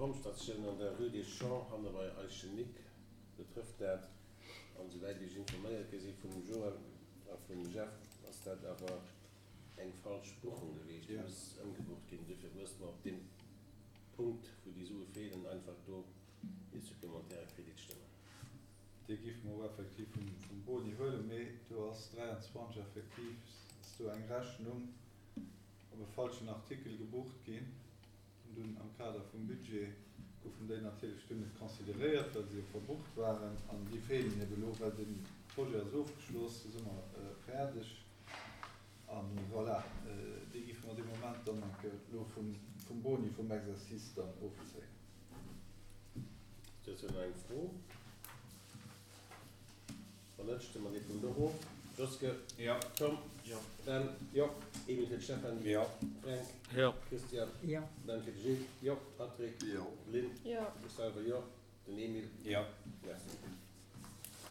Pompstatioun an der Rue des Champs hanne bei Eischen-Nic betrëfft dat. An esouwäit ech informéiert gi si vum Joël a vum Jeff, ass dat awer eng falsch Buchung geweecht. Déi muss ëmgebucht ginn. Duerfir musse mer op deem Punkt, wou déi Sue feelen, einfach do ee supplémentaire Kredit stëmmen. Dee géife mer och effektiv vum Boni huelen, mee do ass 23 effektiv ass do eng Rechnung op e falschen Artikel gebucht ginn. An dunn am Kader vum Budget goufen déi natierlech dunn net consideréiert, well se jo verbucht waren. An déi feelen ebe elo, well de Projet ass ofgeschloss, do si mer fäerdeg. A voilà, déi géife mer dee Moment dann eng Kéier elo vum Boni vum Exercice dann ofzéien. Dozou nach eng Fro? Wann net, stëmme mer dee Punkt och of. Joske? Jo. Tom? Jo. Dan? Jo. Emil fir de Stefan? Jo. Fränk? Jo. Christian? Jo. Dan fir de Gilles? Jo. Patrick? Jo. Lynn? Jo. Ech selwer jo. Den Emil? Jo.